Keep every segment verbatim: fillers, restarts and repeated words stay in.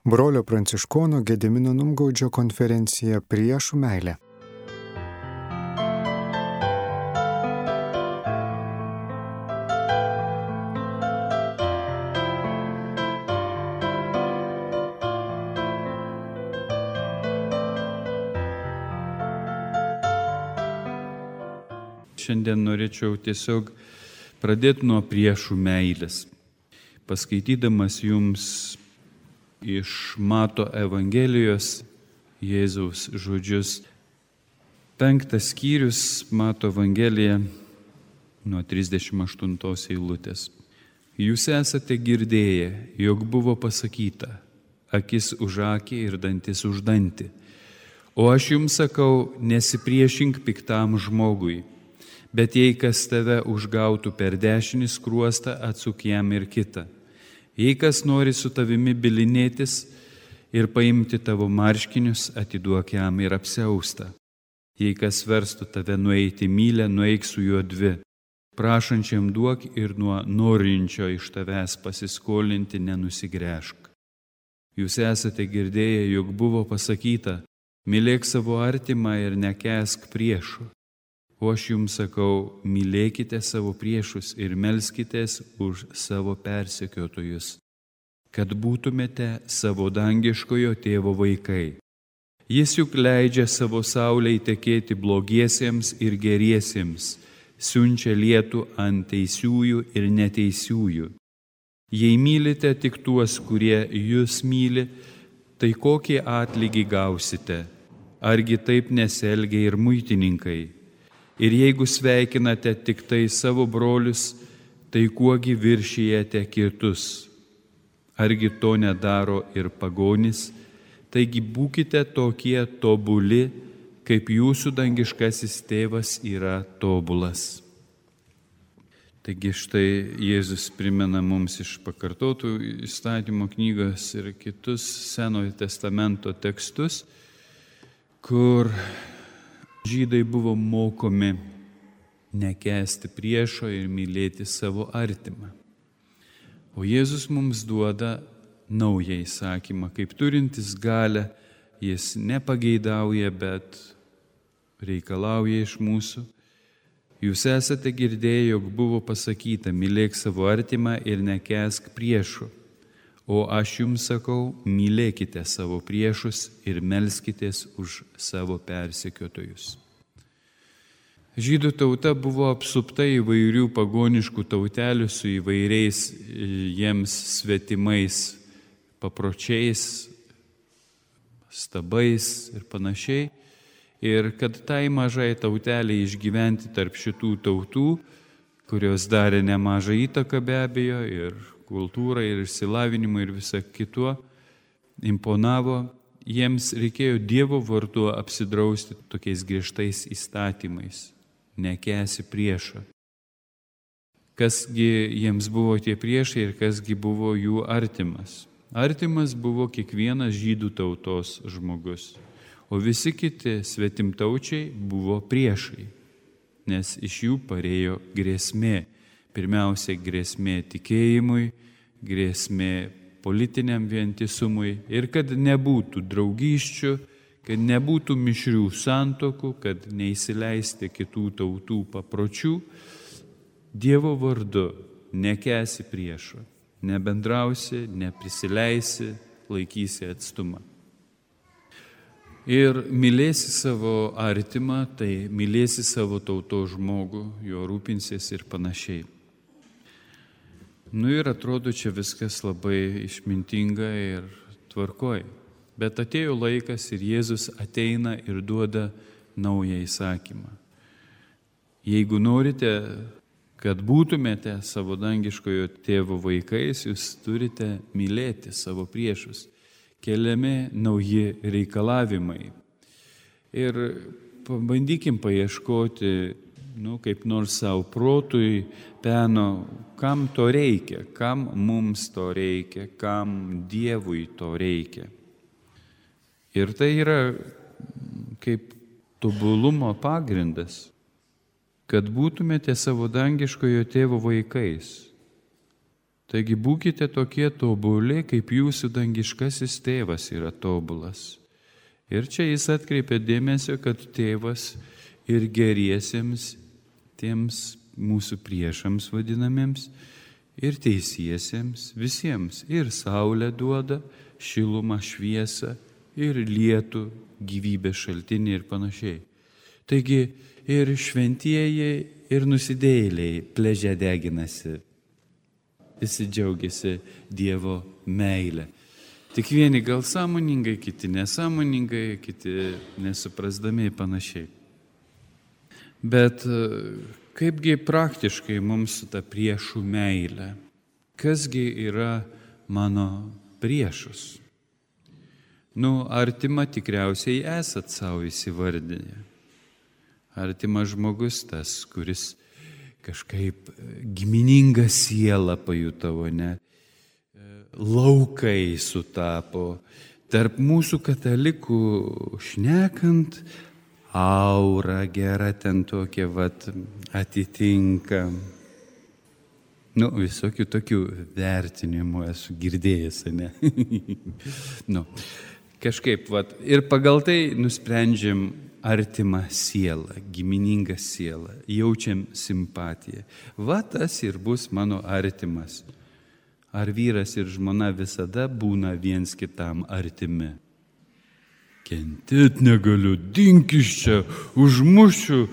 Brolio Pranciškono Gedimino Numgaudžio konferencija Priešų meilė. Šiandien norėčiau tiesiog pradėti nuo priešų meilės, paskaitydamas jums iš Mato Evangelijos Jėzaus žodžius. Penktas skyrius Mato Evangelija nuo trisdešimt aštuntos eilutės. Jūs esate girdėję, jog buvo pasakyta, akis už akį ir dantis už dantį. O aš jums sakau, nesipriešink piktam žmogui, bet jei kas tave užgautų per dešinį skruostą, atsuk jam ir kitą. Jei kas nori su tavimi bylinėtis ir paimti tavo marškinius, atiduok jam ir apsiaustą. Jei kas verstų tave nueiti mylę, nueik su juo dvi. Prašančiam duok ir nuo norinčio iš tavęs pasiskolinti nenusigręžk. Jūs esate girdėję, jog buvo pasakyta, mylėk savo artimą ir nekęsk priešų. O aš jums sakau, mylėkite savo priešus ir melskitės už savo persekiotojus, kad būtumėte savo dangiškojo tėvo vaikai. Jis juk leidžia savo saulei tekėti blogiesiems ir geriesiems, siunčia lietų ant teisiųjų ir neteisiųjų. Jei mylite tik tuos, kurie jūs myli, tai kokį atlygį gausite? Argi taip nesielgia ir muitininkai? Ir jeigu sveikinate tik tai savo brolius, tai kuogi viršijate kitus? Argi to nedaro ir pagonys? Taigi būkite tokie tobuli, kaip jūsų dangiškasis tėvas yra tobulas. Taigi štai Jėzus primena mums iš pakartotų įstatymo knygos ir kitus Senojo testamento tekstus, kur žydai buvo mokomi nekęsti priešo ir mylėti savo artimą. O Jėzus mums duoda naują įsakymą, kaip turintis galią, jis nepageidauja, bet reikalauja iš mūsų. Jūs esate girdėję, jog buvo pasakyta, mylėk savo artimą ir nekęsk priešų. O aš jums sakau, mylėkite savo priešus ir melskitės už savo persekiotojus. Žydų tauta buvo apsupta įvairių pagoniškų tautelių su įvairiais jiems svetimais papročiais, stabais ir panašiai. Ir kad tai mažai tauteliai išgyventi tarp šitų tautų, kurios darė nemažą įtaką be abejo ir kultūrai, ir išsilavinimui, ir visą kituo, imponavo, jiems reikėjo Dievo vardu apsidrausti tokiais griežtais įstatymais, nekęsi priešą. Kasgi jiems buvo tie priešai ir kasgi buvo jų artimas? Artimas buvo kiekvienas žydų tautos žmogus, o visi kiti svetimtaučiai buvo priešai, nes iš jų parėjo grėsmė. Pirmiausia, grėsmė tikėjimui, grėsmė politiniam vientisumui ir kad nebūtų draugysčių, kad nebūtų mišrių santokų, kad neįsileisti kitų tautų papročių, Dievo vardu nekęsi priešo, nebendrausi, neprisileisi, laikysi atstumą. Ir mylėsi savo artimą, tai mylėsi savo tautos žmogų, jo rūpinsies ir panašiai. Nu ir atrodo, čia viskas labai išmintinga ir tvarkoj. Bet atėjo laikas ir Jėzus ateina ir duoda naują įsakymą. Jeigu norite, kad būtumėte savo dangiškojo tėvo vaikais, jūs turite mylėti savo priešus. Keliami nauji reikalavimai. Ir pabandykim paieškoti, nu, kaip nors savo protui peno, kam to reikia, kam mums to reikia, kam Dievui to reikia. Ir tai yra kaip tobulumo pagrindas, kad būtumėte savo dangiškojo tėvo vaikais. Taigi būkite tokie tobuli, kaip jūsų dangiškasis tėvas yra tobulas. Ir čia jis atkreipia dėmesio, kad tėvas ir geriesiems, tiems mūsų priešams vadinamiems, ir teisiesiems, visiems, ir saulę duoda, šilumą, šviesą, ir lietų, gyvybės šaltinį ir panašiai. Taigi ir šventieji, ir nusidėjėliai pleže deginasi. Visi džiaugiasi Dievo meilę. Tik vieni gal sąmoningai, kiti nesąmoningai, kiti nesuprasdami panašiai. Bet kaipgi praktiškai mums su ta priešų meilė? Kasgi yra mano priešus? Nu, artima tikriausiai esat savo įsivardinę. Artimas žmogus tas, kuris kažkaip giminingą sielą pajutavo, ne? Laukai sutapo. Tarp mūsų katalikų šnekant, aura gera ten tokia vat atitinka. Nu, visokių tokių vertinimų esu girdėjęs, ne? Nu, kažkaip, vat, ir pagal tai nusprendžiam artimą sielą, giminingą sielą, jaučiam simpatiją. Va tas ir bus mano artimas. Ar vyras ir žmona visada būna viens kitam artimi? Kentėt negaliu, dink iš čia, užmušiu,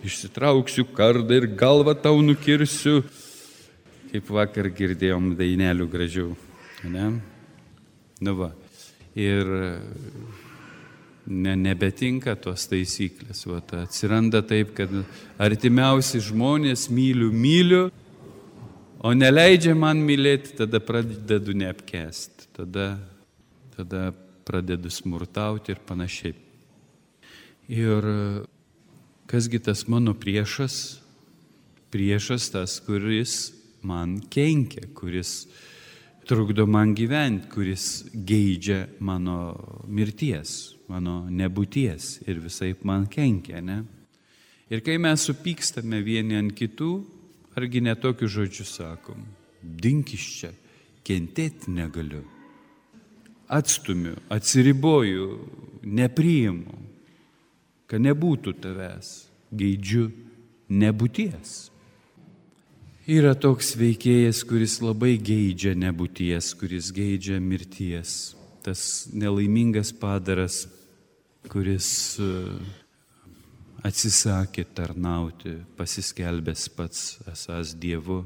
išsitrauksiu kardą ir galvą tau nukirsiu. Kaip vakar girdėjom dainelių gražių, ne? Nu va, ir ne, nebetinka tos taisyklės. Va, atsiranda taip, kad artimiausi žmonės myliu, myliu, o neleidžia man mylėti, tada pradedu neapkęsti, tada, tada pradedu smurtauti ir panašiai. Ir kasgi tas mano priešas? Priešas tas, kuris man kenkia, kuris trukdo man gyventi, kuris geidžia mano mirties, mano nebūties ir visaip man kenkia, ne? Ir kai mes supykstame vieni ant kitų, argi ne tokius žodžius sakom? Dink iš čia, kentėti negaliu. Atstumiu, atsiriboju, nepriimu, kad nebūtų tavęs, geidžiu nebūties. Yra toks veikėjas, kuris labai geidžia nebūties, kuris geidžia mirties. Tas nelaimingas padaras, kuris atsisakė tarnauti, pasiskelbęs pats esąs Dievu.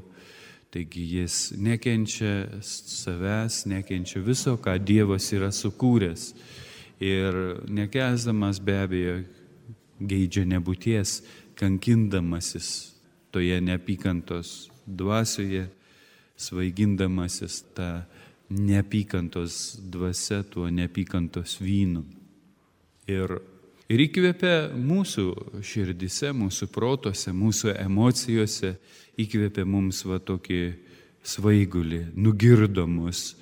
Taigi jis nekenčia savęs, nekenčia viso, ką Dievas yra sukūręs. Ir nekęsdamas be abejo geidžia nebūties, kankindamasis toje neapykantos dvasioje, svaigindamasis tą neapykantos dvasia, tuo neapykantos vynu. Ir, ir įkvėpia mūsų širdise, mūsų protose, mūsų emocijose, įkvėpia mums va tokį svaigulį, nugirdo mus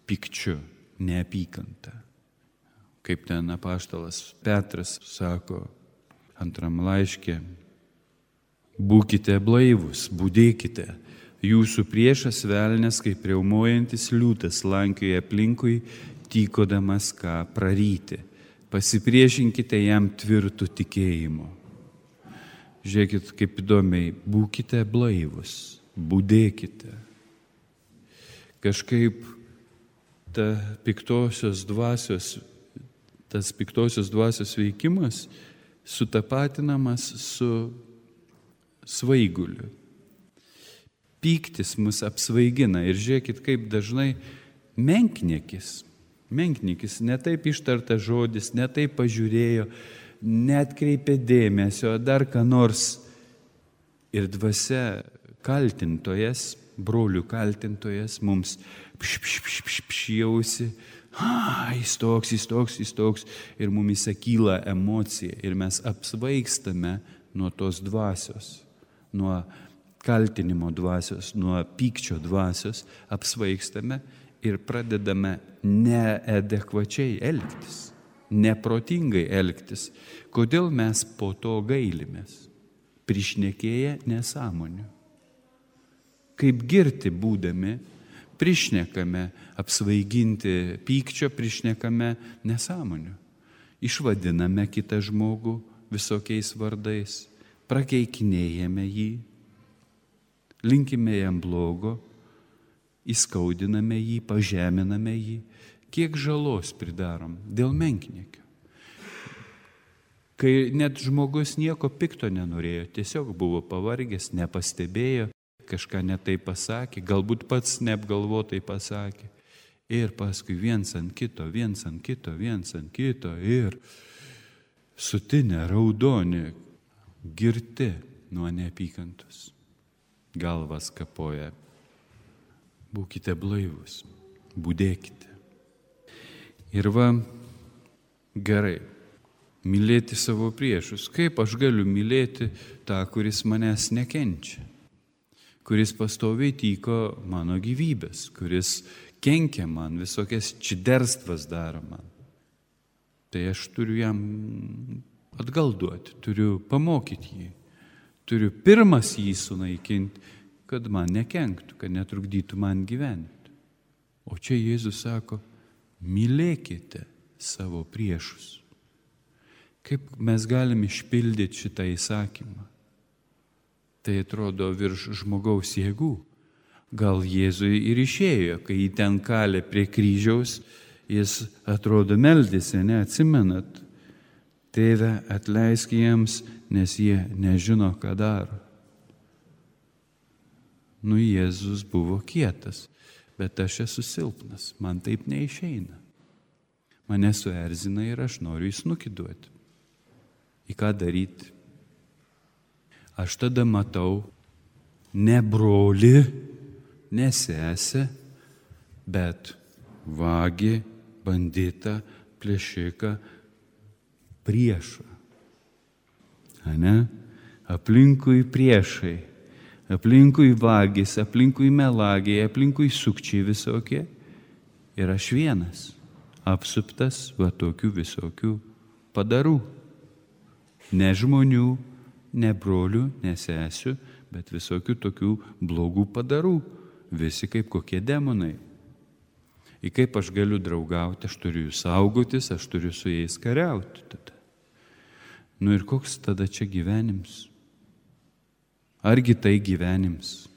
pykčiu, neapykantą. Kaip ten apaštalas Petras sako antram laiške, būkite blaivūs, budėkite, jūsų priešas velnias, kaip riaumojantis liūtas, lankioja aplinkui, tykodamas ką praryti. Pasipriešinkite jam tvirtų tikėjimu. Žiūrėkit, kaip įdomiai, būkite blaivūs, budėkite. Kažkaip ta piktosios dvasios, tas piktosios dvasios veikimas sutapatinamas su svaiguliu. Pyktis mus apsvaigina ir žiūrėkit, kaip dažnai menkniekis, menkniekis, ne taip ištartas žodis, ne taip pažiūrėjo, neatkreipė dėmesio, dar ką nors. Ir dvasia kaltintojas, brolių kaltintojas mums pšpšpšpšpšjausi, jis toks, jis toks, jis toks, ir mumise kyla emocija ir mes apsvaigstame nuo tos dvasios. Nuo kaltinimo dvasios, nuo pykčio dvasios apsvaigstame ir pradedame neadekvačiai elgtis, neprotingai elgtis. Kodėl mes po to gailimės? Prišnekėję nesąmonių. Kaip girti būdami, prišnekame apsvaiginti pykčio, prišnekame nesąmonių. Išvadiname kitą žmogų visokiais vardais, prakeikinėjame jį, linkime jam blogo, įskaudiname jį, pažeminame jį. Kiek žalos pridarom dėl menkniekio. Kai net žmogus nieko pikto nenorėjo, tiesiog buvo pavargęs, nepastebėjo, kažką netai pasakė, galbūt pats neapgalvotai pasakė. Ir paskui viens ant kito, viens ant kito, viens ant kito ir sutinę, raudoni, girti nuo neapykantos. Galvas kapoja. Būkite blaivus, budėkite. Ir va, gerai, mylėti savo priešus. Kaip aš galiu mylėti tą, kuris manęs nekenčia, kuris pastoviai tyko mano gyvybės, kuris kenkia man, visokias čiderstvas daro man. Tai aš turiu jam atgal duoti, turiu pamokyti jį, turiu pirmas jį sunaikinti, kad man nekenktų, kad netrukdytų man gyventi. O čia Jėzus sako, mylėkite savo priešus. Kaip mes galim išpildyti šitą įsakymą? Tai atrodo virš žmogaus jėgų. Gal Jėzui ir išėjo, kai jį ten kalė prie kryžiaus, jis atrodo meldėsi, neatsimenat. Tėve, atleisk jiems, nes jie nežino, ką daro. Nu, Jėzus buvo kietas, bet aš esu silpnas, man taip neišeina. Mane suerzina ir aš noriu jį snukį duoti. Į ką daryti? Aš tada matau ne brolį, ne sesę, bet vagį, banditą, plėšiką, priešą. Ane? Aplinkui priešai, aplinkui vagis, aplinkui melagiai, aplinkui sukčiai visokie. Ir aš vienas, apsuptas va tokių visokių padarų. Ne žmonių, ne brolių, ne sesių, bet visokių tokių blogų padarų. Visi kaip kokie demonai. Ir kaip aš galiu draugauti, aš turiu jų saugotis, aš turiu su jais kariauti tada. Nu ir koks tada čia gyvenims? Argi tai gyvenims?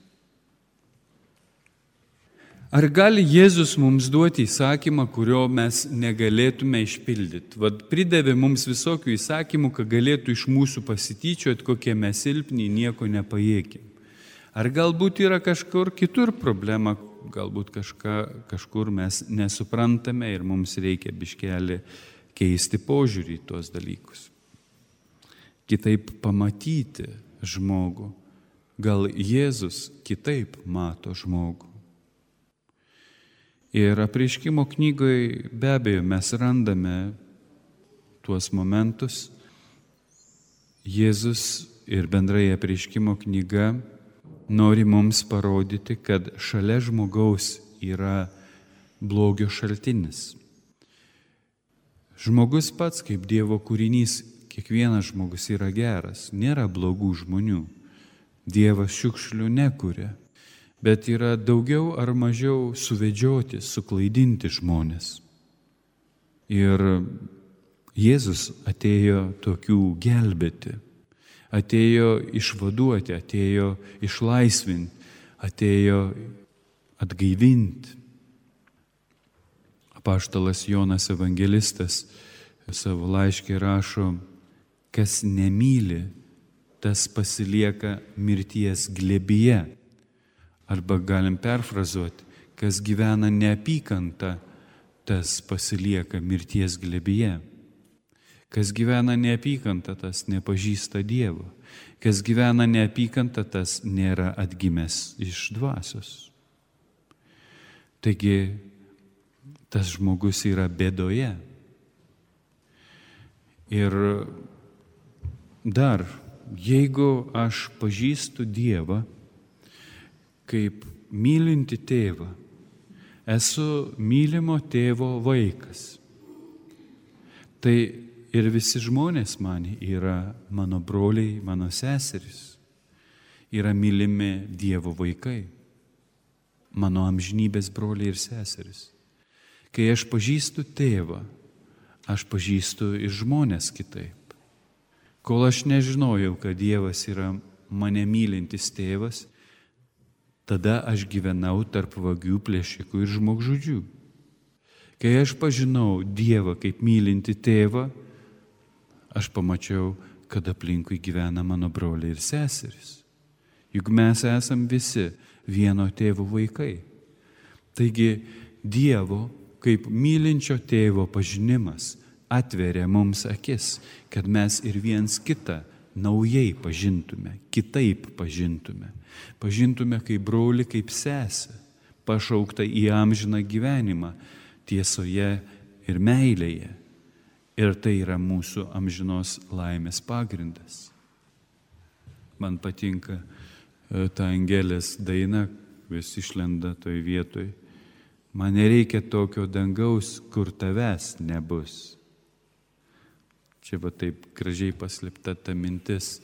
Ar gali Jėzus mums duoti įsakymą, kurio mes negalėtume išpildyti? Vat pridavė mums visokių įsakymų, kad galėtų iš mūsų pasityčioti, kokie mes silpni, nieko nepajėkim. Ar galbūt yra kažkur kitur problema, galbūt kažką, kažkur mes nesuprantame ir mums reikia biškelį keisti požiūrį į tuos dalykus. Kitaip pamatyti žmogų. Gal Jėzus kitaip mato žmogų. Ir Apreiškimo knygoje be abejo mes randame tuos momentus. Jėzus ir bendrai Apreiškimo knyga nori mums parodyti, kad šalia žmogaus yra blogio šaltinis. Žmogus pats kaip Dievo kūrinys, kiekvienas žmogus yra geras, nėra blogų žmonių. Dievas šiukšlių nekuria. Bet yra daugiau ar mažiau suvedžioti, suklaidinti žmonės. Ir Jėzus atėjo tokių gelbėti, atėjo išvaduoti, atėjo išlaisvinti, atėjo atgaivinti. Apaštalas Jonas evangelistas savo laiške rašo, kas nemyli, tas pasilieka mirties glėbyje. Arba galim perfrazuoti, kas gyvena neapykanta, tas pasilieka mirties glėbyje. Kas gyvena neapykanta, tas nepažįsta Dievo. Kas gyvena neapykanta, tas nėra atgimęs iš dvasios. Taigi, tas žmogus yra bėdoje. Ir dar, jeigu aš pažįstu Dievą, kaip mylinti tėvą, esu mylimo tėvo vaikas. Tai ir visi žmonės man yra mano broliai, mano seserys, yra mylimi Dievo vaikai. mano amžinybės broliai ir seserys. Kai aš pažįstu tėvą, aš pažįstu ir žmonės kitaip. Kol aš nežinojau, kad Dievas yra mane mylintis tėvas, tada aš gyvenau tarp vagių, plėšikų ir žmogžudžių. Kai aš pažinau Dievą kaip mylinti tėvą, aš pamačiau, kad aplinkui gyvena mano broliai ir seserys. Juk mes esam visi vieno tėvo vaikai. Taigi Dievo kaip mylinčio tėvo pažinimas atveria mums akis, kad mes ir viens kitą naujai pažintume, kitaip pažintume. Pažintume kaip brolį, kaip sesę, pašauktą į amžiną gyvenimą, tiesoje ir meilėje. Ir tai yra mūsų amžinos laimės pagrindas. Man patinka ta Angelės daina, vis išlenda toj vietoj. Man nereikia tokio dangaus, kur tavęs nebus. Čia va taip gražiai paslėpta ta mintis,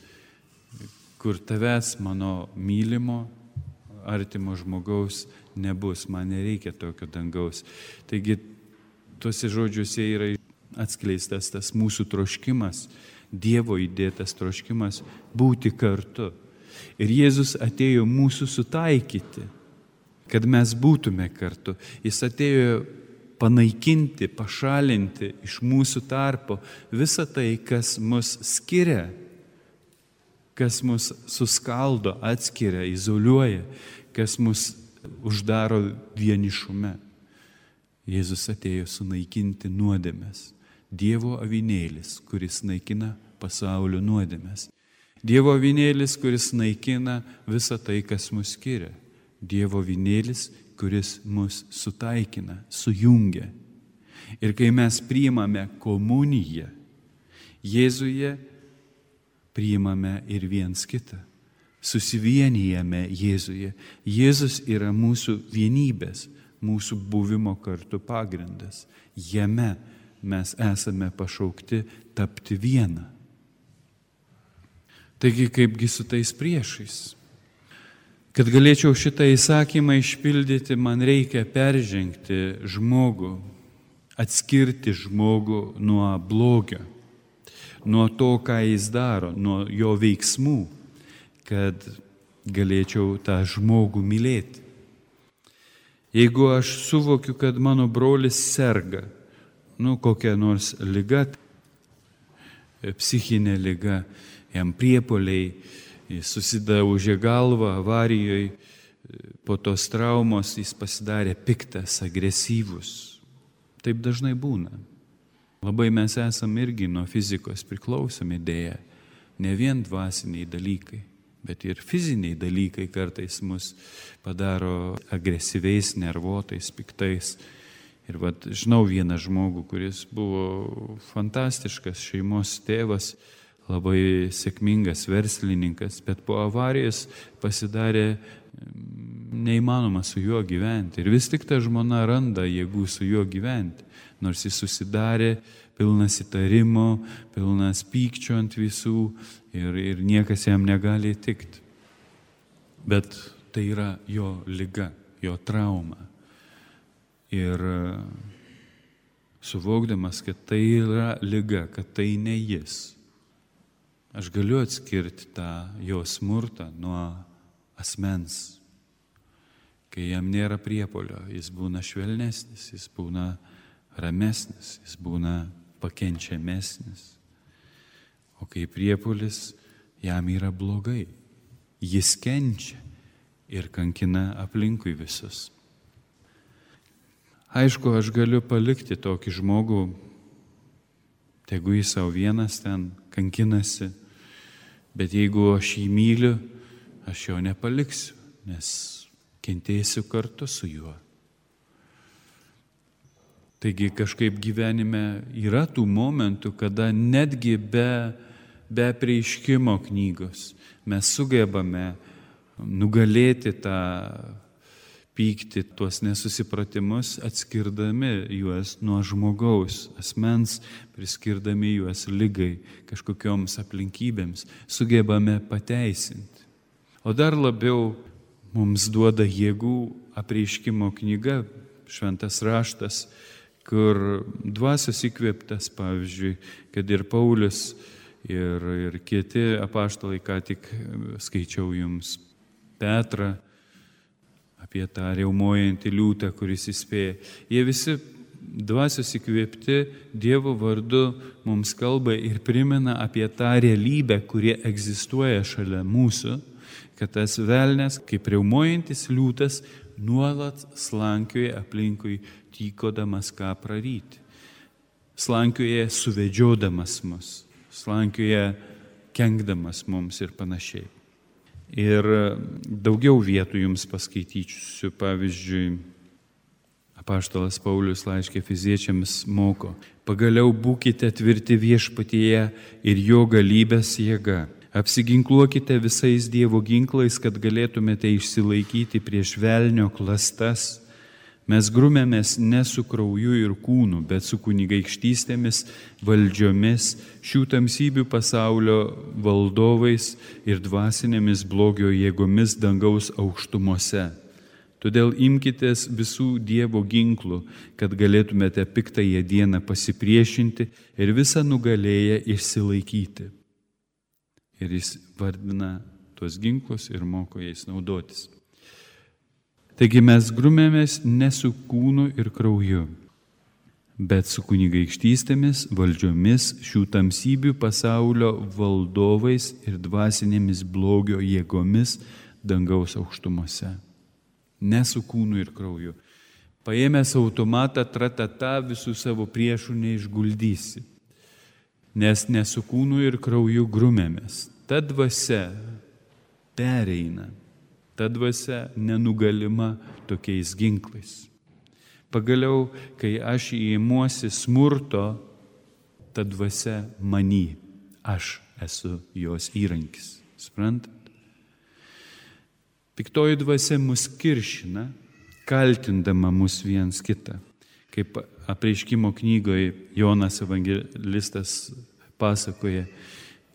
kur tavęs mano mylimo, artimo žmogaus nebus, man nereikia tokio dangaus. Taigi, tuose žodžiuose yra atskleistas tas mūsų troškimas, Dievo įdėtas troškimas būti kartu. Ir Jėzus atėjo mūsų sutaikyti, kad mes būtume kartu. Jis atėjo panaikinti, pašalinti iš mūsų tarpo visą tai, kas mus skiria, kas mus suskaldo, atskiria, izoliuoja, kas mus uždaro vienišume. Jėzus atėjo sunaikinti nuodėmes. Dievo avinėlis, kuris naikina pasaulio nuodėmes. Dievo avinėlis, kuris naikina visą tai, kas mus skiria. Dievo avinėlis, kuris mus sutaikina, sujungia. Ir kai mes priimame komuniją, Jėzuje priimame ir viens kitą. Susivienijame Jėzuje. Jėzus yra mūsų vienybės, mūsų buvimo kartu pagrindas. Jame mes esame pašaukti tapti vieną. Taigi, kaipgi su tais priešais? Kad galėčiau šitą įsakymą išpildyti, man reikia peržengti žmogų, atskirti žmogų nuo blogio, nuo to, ką jis daro, nuo jo veiksmų, kad galėčiau tą žmogų mylėti. Jeigu aš suvokiu, kad mano brolis serga, nu kokia nors liga, psichinė liga, jam priepuoliai, jis susidaužė galvą avarijoje, po tos traumos jis pasidarė piktas, agresyvus. Taip dažnai būna. Labai mes esame irgi nuo fizikos priklausomi dėja. Ne vien dvasiniai dalykai, bet ir fiziniai dalykai kartais mus padaro agresyviais, nervuotais, piktais. Ir vat, žinau vieną žmogų, kuris buvo fantastiškas šeimos tėvas, labai sėkmingas verslininkas, bet po avarijos pasidarė neįmanoma su juo gyventi. Ir vis tik ta žmona randa jėgų su juo gyventi, nors jis susidarė pilnas įtarimo, pilnas pykčio ant visų ir, ir niekas jam negali įtikti. Bet tai yra jo liga, jo trauma. Ir suvokdamas, kad tai yra liga, kad tai ne jis, aš galiu atskirti tą jo smurtą nuo asmens. Kai jam nėra priepuolio, jis būna švelnesnis, jis būna ramesnis, jis būna pakenčiamesnis. O kai priepuolis, jam yra blogai. Jis kenčia ir kankina aplinkui visus. Aišku, aš galiu palikti tokį žmogų, tegu jis savo vienas ten kankinasi, bet jeigu aš jį myliu, aš jo nepaliksiu, nes kentėsiu kartu su juo. Taigi kažkaip gyvenime yra tų momentų, kada netgi be, be apreiškimo knygos mes sugebame nugalėti tą pyktį, tuos nesusipratimus, atskirdami juos nuo žmogaus asmens, priskirdami juos ligai, kažkokioms aplinkybėms, sugebame pateisinti. O dar labiau mums duoda jėgų apreiškimo knyga, šventas raštas, kur dvasios įkvėptas, pavyzdžiui, kad ir Paulius, ir, ir kiti apaštalai, ką tik skaičiau jums, Petrą, apie tą riaumojantį liūtą, kuris įspėja. Jie visi dvasios įkvėpti Dievo vardu mums kalba ir primena apie tą realybę, kurie egzistuoja šalia mūsų, kad tas velnias, kaip riaumojantis liūtas, nuolat slankioja aplinkui, tykodamas ką praryti. Slankioja suvedžiodamas mus, slankioja kenkdamas mums ir panašiai. Ir daugiau vietų jums paskaitysiu, pavyzdžiui, apaštalas Paulius laiške Efeziečiams moko: pagaliau būkite tvirti viešpatyje ir jo galybės jėga. Apsiginkluokite visais Dievo ginklais, kad galėtumėte išsilaikyti prieš velnio klastas. Mes grumėmės ne su krauju ir kūnu, bet su kunigaikštystėmis, valdžiomis, šių tamsybių pasaulio valdovais ir dvasinėmis blogio jėgomis dangaus aukštumose. Todėl imkitės visų Dievo ginklų, kad galėtumėte piktąją dieną pasipriešinti ir visą nugalėję išsilaikyti. Ir jis vardina tuos ginklus ir moko jais naudotis. Taigi mes grumėmės ne su kūnu ir krauju, bet su kunigaikštystėmis, valdžiomis, šių tamsybių pasaulio valdovais ir dvasinėmis blogio jėgomis dangaus aukštumose. Ne su kūnu ir krauju. Paėmęs automatą tratata visų savo priešų neišguldysi, nes ne su kūnu ir krauju grumėmės. Ta dvasia pereina. Ta dvasia nenugalima tokiais ginklais. Pagaliau, kai aš įimuosi smurto, ta dvasia many, aš esu jos įrankis. Suprantat? Piktoji dvasia mus kiršina, kaltindama mus viens kitą. Kaip apreiškimo knygoje Jonas evangelistas pasakoja,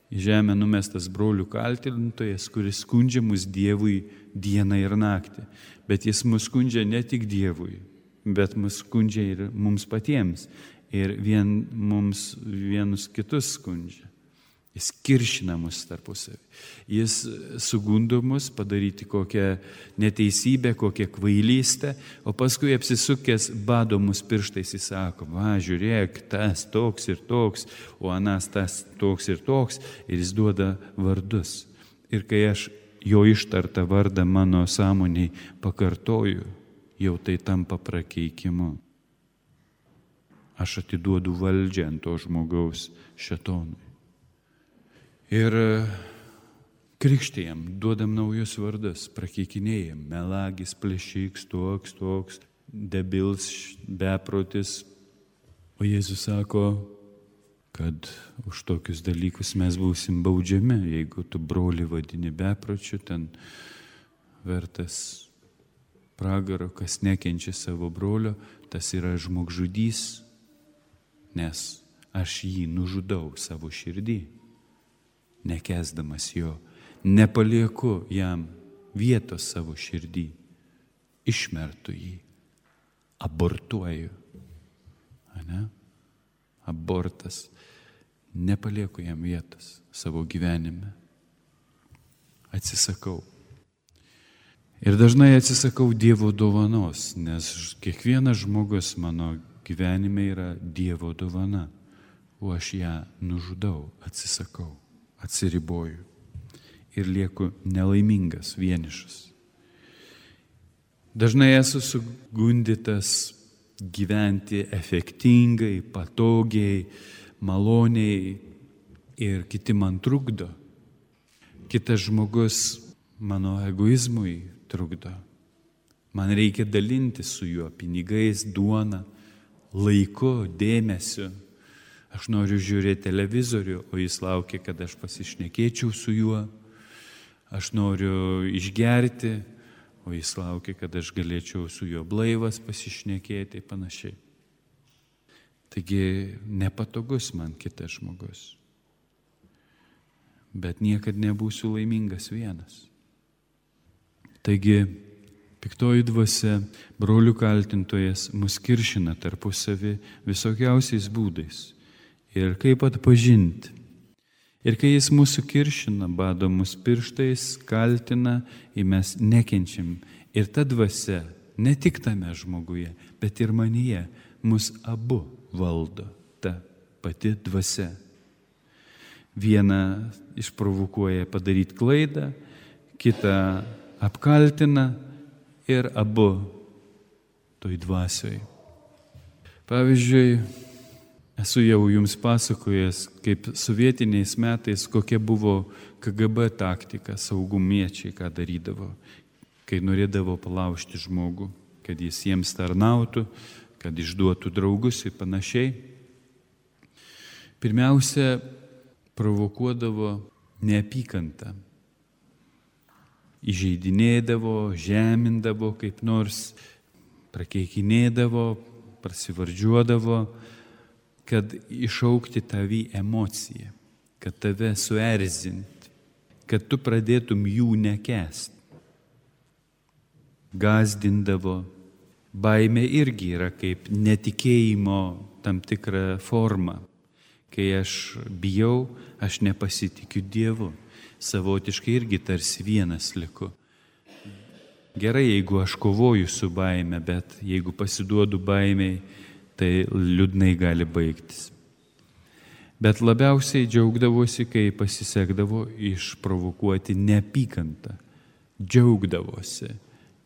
į žemę numestas brolių kaltintojas, kuris skundžia mus Dievui dieną ir naktį. Bet jis mus skundžia ne tik Dievui, bet mus skundžia ir mums patiems. Ir vien mums vienus kitus skundžia. Jis kiršina mus tarpusavį. Jis sugundo mus padaryti kokią neteisybę, kokią kvailystę, o paskui apsisukęs bado mus pirštais, jis sako: va, žiūrėk, tas toks ir toks, o anas tas toks ir toks, ir jis duoda vardus. Ir kai aš jo ištartą vardą mano sąmoniai pakartoju, jau tai tampa prakeikimu. Aš atiduodu valdžią ant to žmogaus šėtonui. Ir krikštėjam, duodam naujus vardus, prakeikinėjam: melagis, plėšiks, toks, toks, debils, beprotis. O Jėzus sako, kad už tokius dalykus mes būsim baudžiami. Jeigu tu brolį vadini bepročiu, ten vertas pragaro, kas nekenčia savo brolio, tas yra žmogžudys, nes aš jį nužudau savo širdį. Nekęsdamas jo, nepalieku jam vietos savo širdį, išmertu jį, abortuoju. Ane? Abortas, nepalieku jam vietos savo gyvenime. Atsisakau. Ir dažnai atsisakau Dievo dovanos, nes kiekvienas žmogus mano gyvenime yra Dievo dovana, o aš ją nužudau, atsisakau. Atsiriboju ir lieku nelaimingas, vienišas. Dažnai esu sugundytas gyventi efektingai, patogiai, maloniai ir kiti man trukdo. Kitas žmogus mano egoizmui trukdo. Man reikia dalinti su juo pinigais, duona, laiku, dėmesiu. Aš noriu žiūrėti televizorių, o jis laukia, kad aš pasišnekėčiau su juo. Aš noriu išgerti, o jis laukia, kad aš galėčiau su juo blaivas pasišnekėti ir panašiai. Taigi nepatogus man kitas žmogus. Bet niekad nebūsiu laimingas vienas. Taigi, piktoji dvasia, brolių kaltintojas, mus kiršina tarpusavį visokiausiais būdais. Ir kaip atpažinti? Ir kai jis mūsų kiršina, bado mus pirštais, kaltina, ir mes nekenčiam. Ir ta dvasia, ne tik tame žmoguje, bet ir manyje, mus abu valdo ta pati dvasia. Vieną išprovokuoja padaryti klaidą, kitą apkaltina ir abu toj dvasioj. Pavyzdžiui, esu jau jums pasakojęs, kaip sovietiniais metais kokia buvo K G B taktika, saugumiečiai ką darydavo, kai norėdavo palaužti žmogų, kad jis jiems tarnautų, kad išduotų draugus ir panašiai. Pirmiausia, provokuodavo neapykantą. Įžeidinėdavo, žemindavo kaip nors, prakeikinėdavo, prasivardžiuodavo, kad išaukti tavį emociją, kad tave suerzinti, kad tu pradėtum jų nekęsti. Gazdindavo. Baimė irgi yra kaip netikėjimo tam tikra forma. Kai aš bijau, aš nepasitikiu Dievu. Savotiškai irgi tarsi vienas liku. Gerai, jeigu aš kovoju su baime, bet jeigu pasiduodu baimiai, tai liūdnai gali baigtis. Bet labiausiai džiaugdavosi, kai pasisekdavo išprovokuoti neapykantą. Džiaugdavosi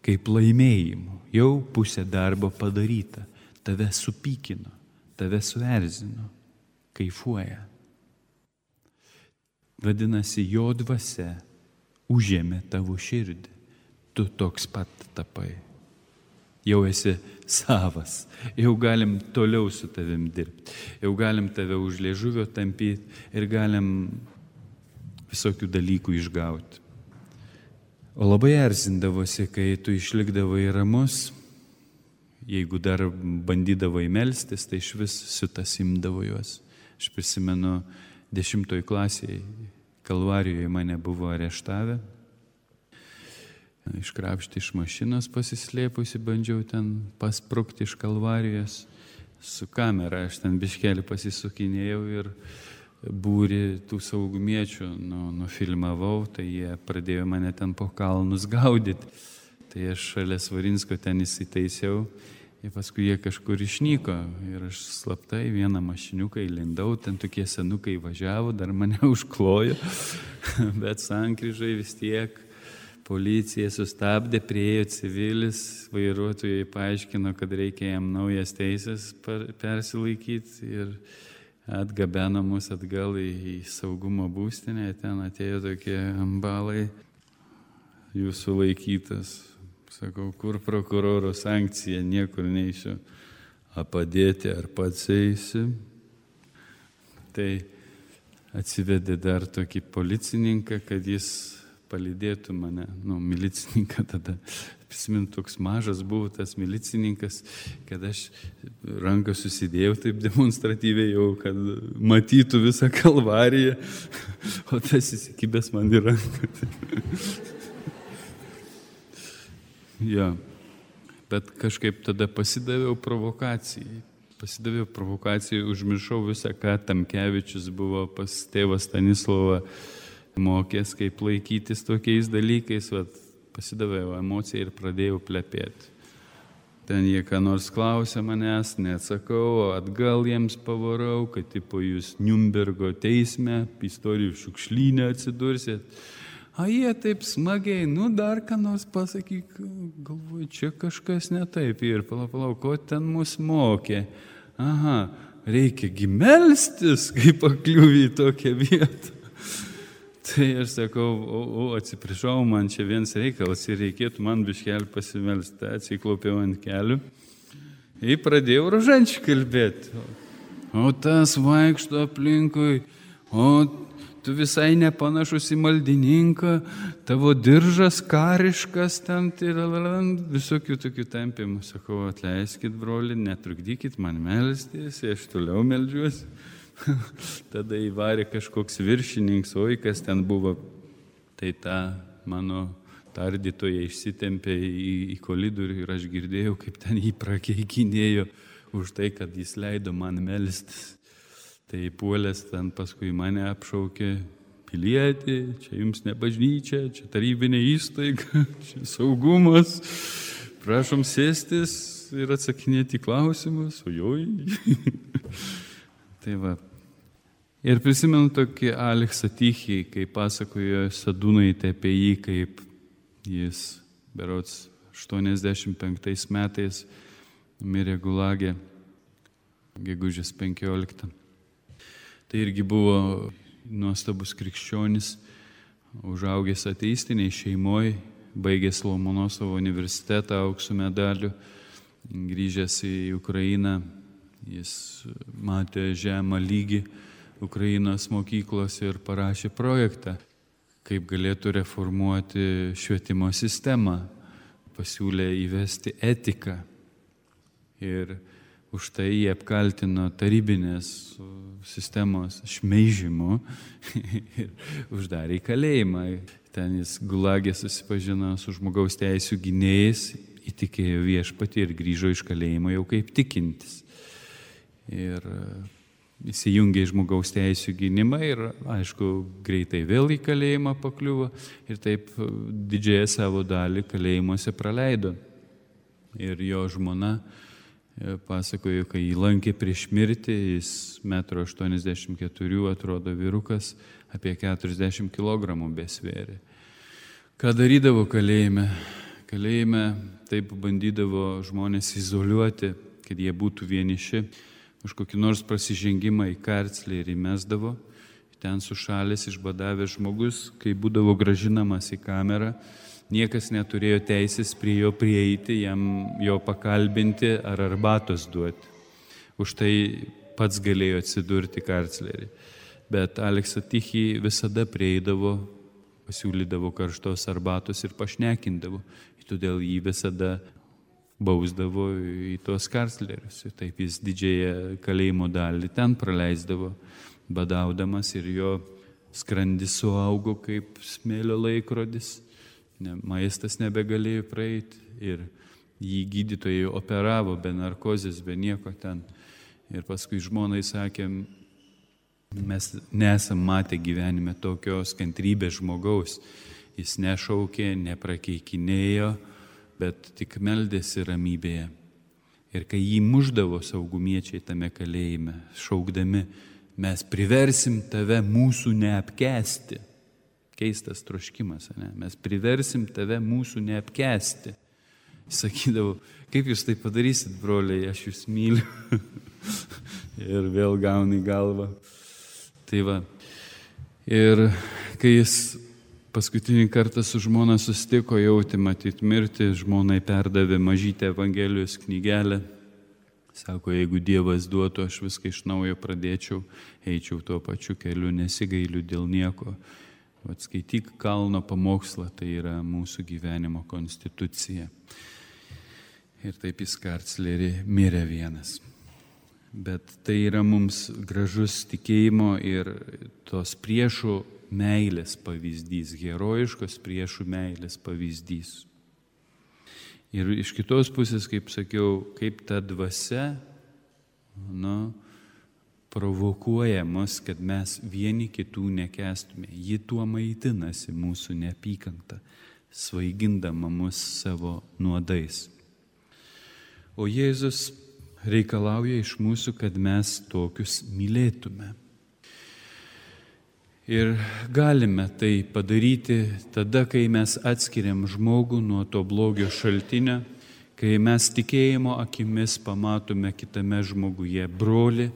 kaip laimėjimu. Jau pusė darbo padaryta. Tave supykino, tave suerzino. Kaifuoja. Vadinasi, jo dvasia užėmė tavo širdį. Tu toks pat tapai. Jau esi savas. Jau galim toliau su tavim dirbti. Jau galim tave už liežuvio tampyti ir galim visokių dalykų išgauti. O labai erzindavosi, kai tu išlikdavai ramus, jeigu dar bandydavai melstis, tai iš vis siutas imdavo juos. Aš prisimenu, dešimtoj klasėje Kalvarijoje mane buvo areštavę. Iškrapšti iš mašinos pasislėpusi, bandžiau ten pasprukti iš Kalvarijos. Su kamera aš ten biškelį pasisukinėjau ir būrį tų saugumiečių nu, nufilmavau, tai jie pradėjo mane ten po kalnus gaudyti. Tai aš šalia Svarinsko ten įsitaisiau ir paskui jie kažkur išnyko. Ir aš slaptai vieną mašiniuką įlindau, ten tokie senukai važiavo, dar mane užklojo, bet sankryžai vis tiek policija sustabdė, priėjo civilis, vairuotojai paaiškino, kad reikia jam naujas teisės persilaikyti ir atgabeno mus atgal į, į saugumo būstinę, ten atėjo tokie ambalai, jūsų laikytas. Sakau, kur prokuroro sankcija, niekur neišiu. A padėti, ar pats eisi? Tai atsivedė dar tokį policininką, kad jis palydėtų mane, nu, milicininką tada. Prisimint, toks mažas buvo tas milicininkas, kad aš ranką susidėjau taip demonstratyviai jau, kad matytų visą Kalvariją, o tas įsikibęs man į ranką. Ja, bet kažkaip tada pasidaviau provokacijai. Pasidaviau provokacijai, užmiršau visą, ką Tamkevičius buvo pas tėvą Stanislovą mokęs, kaip laikytis tokiais dalykais, vat, pasidaviau emociją ir pradėjau plepėti. Ten jie ką nors klausė manęs, neatsakau, atgal jiems pavarau, kad tipo jūs Niurnbergo teisme, istorijų šiukšlyne atsidursit. A jie taip smagiai, nu dar ką nors pasakyk, galvoju, čia kažkas ne taip. Ir palauk, palauk, ko ten mus mokė? Aha, reikia gi melstis, kai pakliuvi į tokią vietą. Tai aš sakau, o, o atsiprašau, man čia vienas reikalas ir reikėtų man biškelį pasimelsti. Atsiklaupiau ant kelių ir pradėjau rožančių kalbėti. O tas vaikšto aplinkui, o tu visai nepanašus į maldininką, tavo diržas kariškas ten, visokių tokių tampimų. Sakau, atleiskit, broli, netrukdykit man melstis, aš toliau meldžiuosi. Tada įvarė kažkoks viršininkas, oi kas ten buvo, tai ta mano tardytoje išsitempė į, į kolidorių ir aš girdėjau, kaip ten jį prakeikinėjo už tai, kad jis leido man melstis. Tai puolęs ten paskui mane apšaukė: pilietį, čia jums ne bažnyčia, čia tarybinė įstaiga, čia saugumas, prašom sėstis ir atsakinėti klausimus, ojoj. Tai va. Ir prisimenu tokį Aleksą Tichį, kai pasakojo Sadūnaitė apie jį, kaip jis berods aštuoniasdešimt penktais metais mirė Gulage, gegužės penkioliktą. Tai irgi buvo nuostabus krikščionis, užaugęs ateistiniai šeimoje, baigęs Lomonosovo universitetą aukso medaliu, grįžęs į Ukrainą, jis matė žemą lygį Ukrainos mokyklos ir parašė projektą, kaip galėtų reformuoti švietimo sistemą, pasiūlė įvesti etiką. Ir už tai jie apkaltino tarybinės sistemos šmeižimu ir uždarė į kalėjimą. Ten jis Gulagė susipažino su žmogaus teisių gynėjais, įtikėjo viešpatį ir grįžo iš kalėjimo jau kaip tikintis. Ir įsijungė į žmogaus teisių gynimą ir, aišku, greitai vėl į kalėjimą pakliuvo ir taip didžiąją savo dalį kalėjimuose praleido. Ir jo žmona pasakojo, kai jį lankė prieš mirtį, jis metro aštuoniasdešimt keturių, atrodo vyrukas, apie keturiasdešimt kilogramų besvėrė. Ką darydavo kalėjime? Kalėjime taip bandydavo žmonės izoliuoti, kad jie būtų vieniši. Už kokį nors prasižengimą į karcelę ir įmesdavo. Ten sušalęs, išbadavęs žmogus, kai būdavo gražinamas į kamerą, niekas neturėjo teisės prie jo prieiti, jam jo pakalbinti ar arbatos duoti. Už tai pats galėjo atsidurti karcelėje. Bet Aleksą Tichį visada prieidavo, pasiūlydavo karštos arbatos ir pašnekindavo. Todėl jį visada bausdavo į tos karcelėrius. Taip jis didžiąją kalėjimo dalį ten praleisdavo, badaudamas, ir jo skrandis suaugo kaip smėlio laikrodis. Ne, maistas nebegalėjo praeiti ir jį gydytojai operavo be narkozės, be nieko ten. Ir paskui žmonai sakė: mes nesam matę gyvenime tokios kantrybės žmogaus. Jis nešaukė, neprakeikinėjo, bet tik meldėsi ramybėje. Ir kai jį muždavo saugumiečiai tame kalėjime, šaukdami: mes priversim tave mūsų neapkęsti. Keistas troškimas, ne? Mes priversim tave mūsų neapkęsti. Sakydavau: kaip jūs tai padarysit, broliai, aš jūs myliu. Ir vėl gauni galvą. Tai va. Ir kai jis paskutinį kartą su žmona susitiko, jauti matyt mirti, žmonai perdavė mažytę Evangelijos knygelę. Sako, jeigu Dievas duotų, aš viską iš naujo pradėčiau, eičiau tuo pačiu keliu, nesigailiu dėl nieko. Atskaityk kalno pamokslą, tai yra mūsų gyvenimo konstitucija. Ir taip jis karcelėje mirė vienas. Bet tai yra mums gražus tikėjimo ir tos priešų meilės pavyzdys, herojiškos priešų meilės pavyzdys. Ir iš kitos pusės, kaip sakiau, kaip ta dvasia, nu, provokuoja mus, kad mes vieni kitų nekęstume. Ji tuo maitinasi, mūsų neapykantą, svaigindama mus savo nuodais. O Jėzus reikalauja iš mūsų, kad mes tokius mylėtume. Ir galime tai padaryti tada, kai mes atskiriam žmogų nuo to blogio šaltinio, kai mes tikėjimo akimis pamatome kitame žmoguje brolį,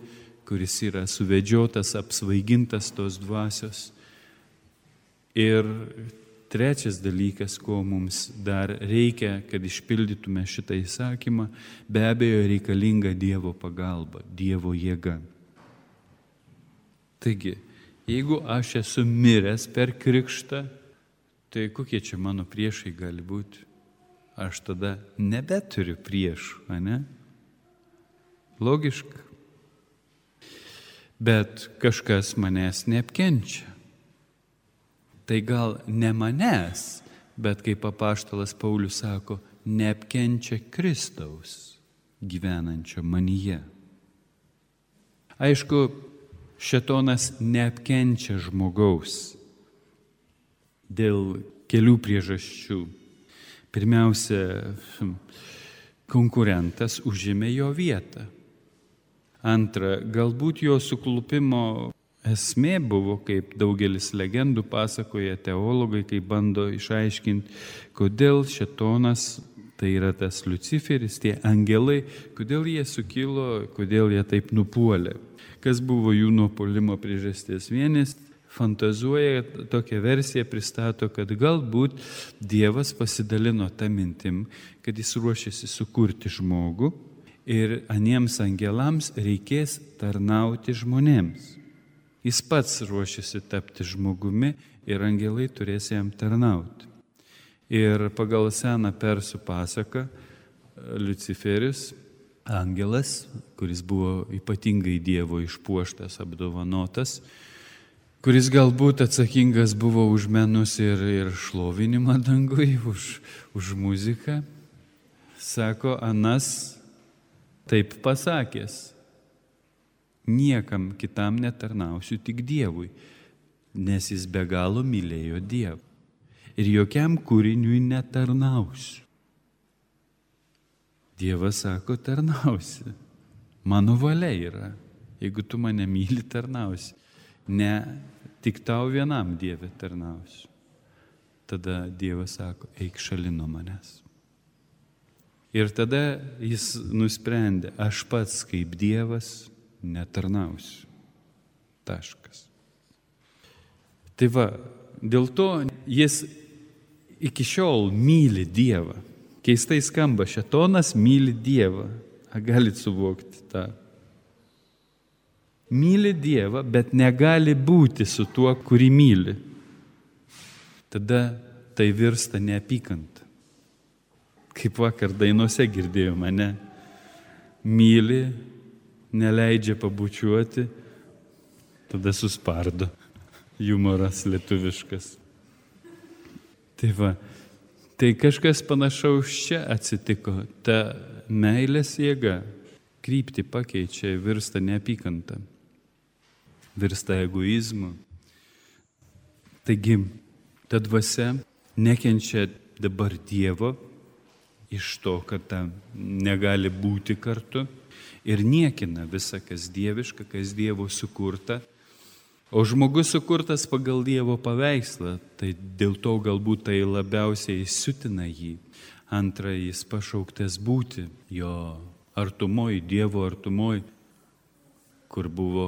kuris yra suvedžiotas, apsvaigintas tos dvasios. Ir trečias dalykas, ko mums dar reikia, kad išpildytume šitą įsakymą, be abejo reikalinga Dievo pagalba, Dievo jėga. Taigi, jeigu aš esu miręs per krikštą, tai kokie čia mano priešai gali būti? Aš tada nebeturiu priešų, ane? Logiška. Bet kažkas manęs neapkenčia. Tai gal ne manęs, bet kaip apaštalas Paulius sako, neapkenčia Kristaus gyvenančio manyje. Aišku, šėtonas neapkenčia žmogaus dėl kelių priežasčių. Pirmiausia, konkurentas užėmė jo vietą. Antra, galbūt jo suklupimo esmė buvo, kaip daugelis legendų pasakoja teologai, kai bando išaiškinti, kodėl šėtonas, tai yra tas Liuciferis, tie angelai, kodėl jie sukilo, kodėl jie taip nupuolė. Kas buvo jų nupuolimo priežastis? Vienas fantazuoja, tokią versiją pristato, kad galbūt Dievas pasidalino tą mintim, kad jis ruošiasi sukurti žmogų ir aniems angelams reikės tarnauti žmonėms. Jis pats ruošiasi tapti žmogumi ir angelai turės jam tarnauti. Ir pagal seną persų pasaką Liuciferis, angelas, kuris buvo ypatingai Dievo išpuoštas, apdovanotas, kuris galbūt atsakingas buvo už menus ir, ir šlovinimą dangui, už, už muziką, sako, anas taip pasakęs, niekam kitam netarnausiu, tik Dievui, nes jis be galo mylėjo Dievą. Ir jokiam kūriniui netarnausiu. Dievas sako, tarnausi. Mano valia yra. Jeigu tu mane myli, tarnausi. Ne tik tau vienam Dieve tarnausiu. Tada Dievas sako, eik šalin nuo manęs. Ir tada jis nusprendė, aš pats kaip Dievas netarnausiu. Taškas. Tai va, dėl to jis iki šiol myli Dievą. Keistai skamba, šėtonas myli Dievą. A, galit suvokti tą. Myli Dievą, bet negali būti su tuo, kurį myli. Tada tai virsta neapykanta. Kaip vakar dainuose girdėjome, ne? Myli, neleidžia pabučiuoti, tada suspardo. Jumoras lietuviškas. Tai va, tai kažkas panašaus čia atsitiko. Ta meilės jėga kryptį pakeičia, virsta neapykanta, virsta egoizmu. Taigi, ta dvasia nekenčia dabar Dievo iš to, kad ta negali būti kartu ir niekina visą, kas dieviška, kas Dievo sukurta. O žmogus sukurtas pagal Dievo paveikslą, tai dėl to galbūt tai labiausiai siutina jį. Antra, jis pašauktas būti jo artumoj, Dievo artumoj, kur buvo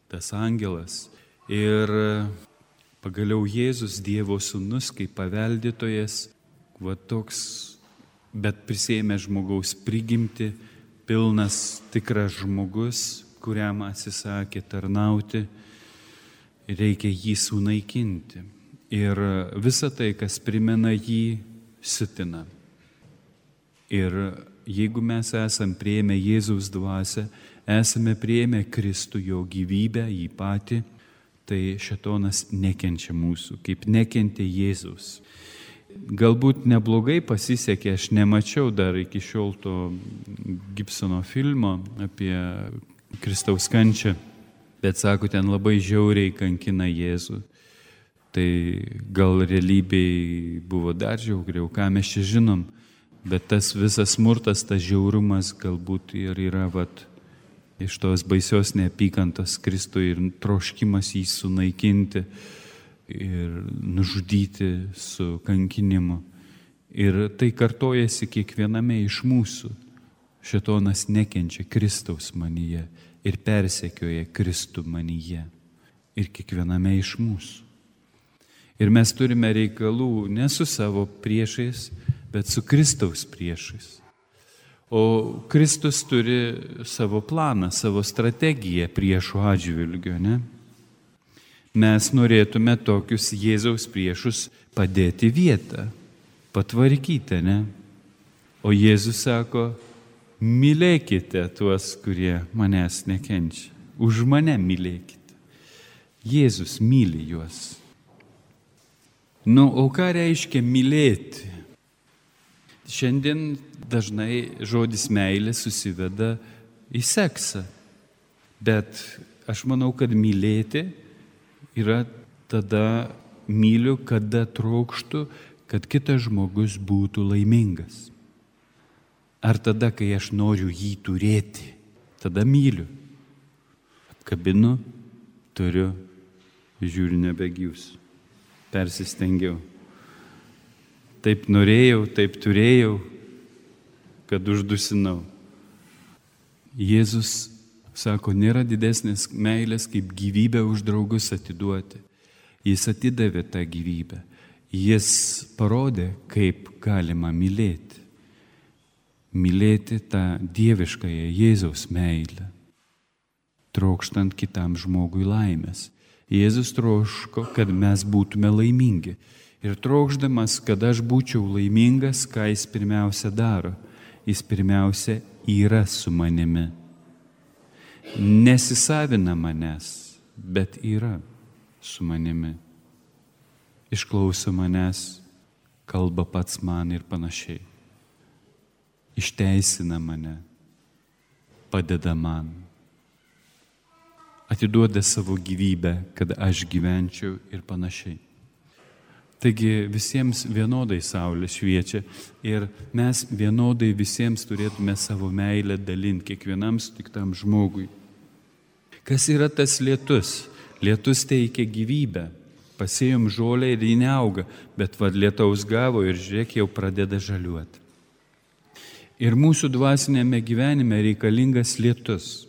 tas angelas. Ir pagaliau Jėzus, Dievo sūnus, kaip paveldėtojas, va toks, bet prisėmė žmogaus prigimti, pilnas tikras žmogus, kuriam atsisakė tarnauti. Reikia jį sunaikinti. Ir visa tai, kas primena jį, siutina. Ir jeigu mes esame priėmę Jėzaus dvasią, esame priėmę Kristų, jo gyvybę, jį patį, tai šėtonas nekenčia mūsų, kaip nekentė Jėzaus. Galbūt neblogai pasisekė, aš nemačiau dar iki šiol to Gibsono filmo apie Kristaus kančią. Bet sako, ten labai žiauriai kankina Jėzų. Tai gal realybėj buvo dar žiauriau, ką mes čia žinom. Bet tas visas smurtas, tas žiaurumas galbūt ir yra vat, iš tos baisios neapykantos Kristui ir troškimas jį sunaikinti ir nužudyti su kankinimu. Ir tai kartojasi kiekviename iš mūsų. Šėtonas nekenčia Kristaus manyje ir persekioja Kristų manyje ir kiekviename iš mūsų. Ir mes turime reikalų ne su savo priešais, bet su Kristaus priešais. O Kristus turi savo planą, savo strategiją priešų atžvilgiu, ne? Mes norėtume tokius Jėzaus priešus padėti vietą, patvarkyti, ne? O Jėzus sako, mylėkite tuos, kurie manęs nekenčia. Už mane mylėkite. Jėzus myli juos. Nu, o ką reiškia mylėti? Šiandien dažnai žodis meilė susiveda į seksą, bet aš manau, kad mylėti yra tada myliu, kada trokštu, kad kitas žmogus būtų laimingas. Ar tada, kai aš noriu jį turėti, tada myliu. Apkabinu, turiu, žiūriu nebegyvsiu. Persistengiau. Taip norėjau, taip turėjau, kad uždusinau. Jėzus sako, nėra didesnės meilės, kaip gyvybę už draugus atiduoti. Jis atidavė tą gyvybę. Jis parodė, kaip galima mylėti. Mylėti tą dieviškąją Jėzaus meilę, trokštant kitam žmogui laimės. Jėzus troško, kad mes būtume laimingi. Ir trokšdamas, kad aš būčiau laimingas, ką jis pirmiausia daro? Jis pirmiausia yra su manimi. Nesisavina manęs, bet yra su manimi. Išklauso manęs, kalba pats man ir panašiai. Išteisina mane, padeda man. Atiduoda savo gyvybę, kad aš gyvenčiau ir panašiai. Taigi visiems vienodai saulė šviečia ir mes vienodai visiems turėtume savo meilę dalinti kiekvienam sutiktam žmogui. Kas yra tas lietus? Lietus teikia gyvybę. Pasėjom žolę ir ji neauga, bet vad lietaus gavo ir žiūrėk, jau pradeda žaliuoti. Ir mūsų dvasinėme gyvenime reikalingas lietus.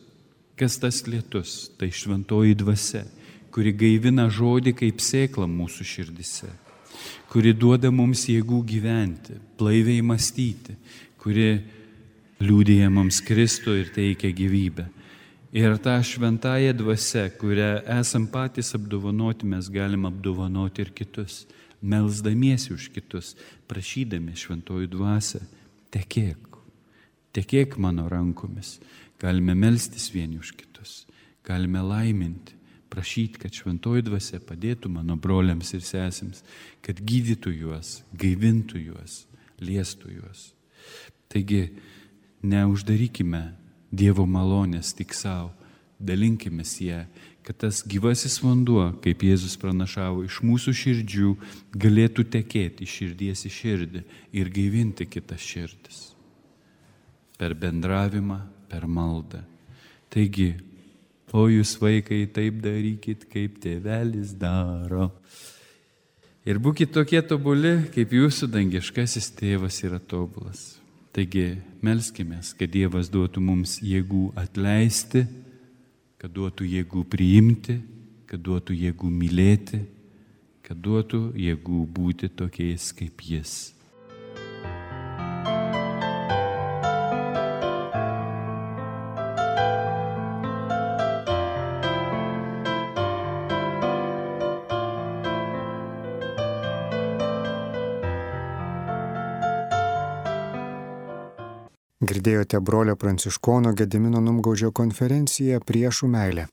Kas tas lietus? Tai šventoji dvasia, kuri gaivina žodį kaip sėkla mūsų širdise, kuri duoda mums jėgų gyventi, blaiviai mąstyti, kuri liudija mums Kristų ir teikia gyvybę. Ir tą šventąją dvasią, kurią esam patys apdovanoti, mes galim apdovanoti ir kitus, melsdamiesi už kitus, prašydami šventoji dvasia, tekėk, tekėk mano rankomis. Galime melstis vieni už kitus, galime laiminti, prašyti, kad šventoji dvasia padėtų mano broliams ir sesėms, kad gydytų juos, gaivintų juos, liestų juos. Taigi, neuždarykime Dievo malonės tik savo, dalinkimės ją, kad tas gyvasis vanduo, kaip Jėzus pranašavo, iš mūsų širdžių galėtų tekėti iš širdies į širdį ir gaivinti kitas širdis. Per bendravimą, per maldą. Taigi, o jūs vaikai taip darykit, kaip tėvelis daro. Ir būkit tokie tobuli, kaip jūsų dangiškasis tėvas yra tobulas. Taigi, melskimės, kad Dievas duotų mums jėgų atleisti, kad duotų jėgų priimti, kad duotų jėgų mylėti, kad duotų jėgų būti tokiais kaip Jis. Girdėjote brolio Pranciškono Gedimino Numgaudžio konferenciją Priešų meilė.